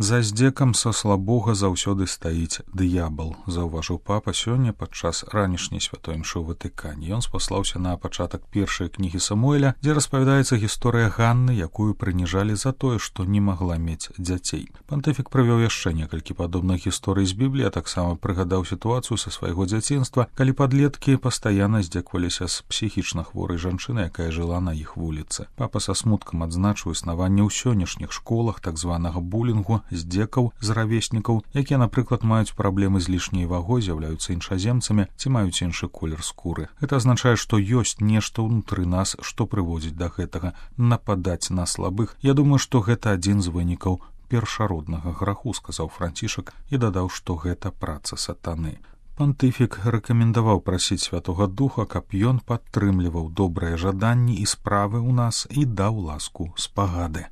За здзекам са слабога заўсёды стаіць д'ябал, заўважыў папа сёння падчас ранішняй святой імшы ў Ватыкане. Ён спаслаўся на пачатак першай кнігі Самуэля, дзе распавядаецца гісторыя Ганны, якую прыніжалі за тое, што не магла мець дзяцей. Пантыфік прывёў яшчэ некалькі падобных гісторый з Бібліі, а таксама прыгадаў сітуацыю са свайго дзяцінства, калі падлеткі пастаянна здзекваліся з псіхічна хворай жанчыны, якая жыла на іх вуліцы. Папа са смуткам адзначыў існаванне ў сённяшніх школах так званага булінгу, здзекаў з равеснікаў, якія, напрыклад, маюць праблемы з лішняй вагой, з'яўляюцца іншаземцамі ці маюць іншы колер скуры. Гэта азначае, што ёсць нешта ўнутры нас, што прыводзіць да гэтага, нападаць на слабых. Я думаю, што гэта адзін з вынікаў першароднага граху, сказаў Францішак і дадаў, што гэта праца сатаны. Пантыфік рэкамендаваў прасіць Святога Духа, каб ён падтрымліваў добрыя жаданні і справы ў нас і даў ласку спагады.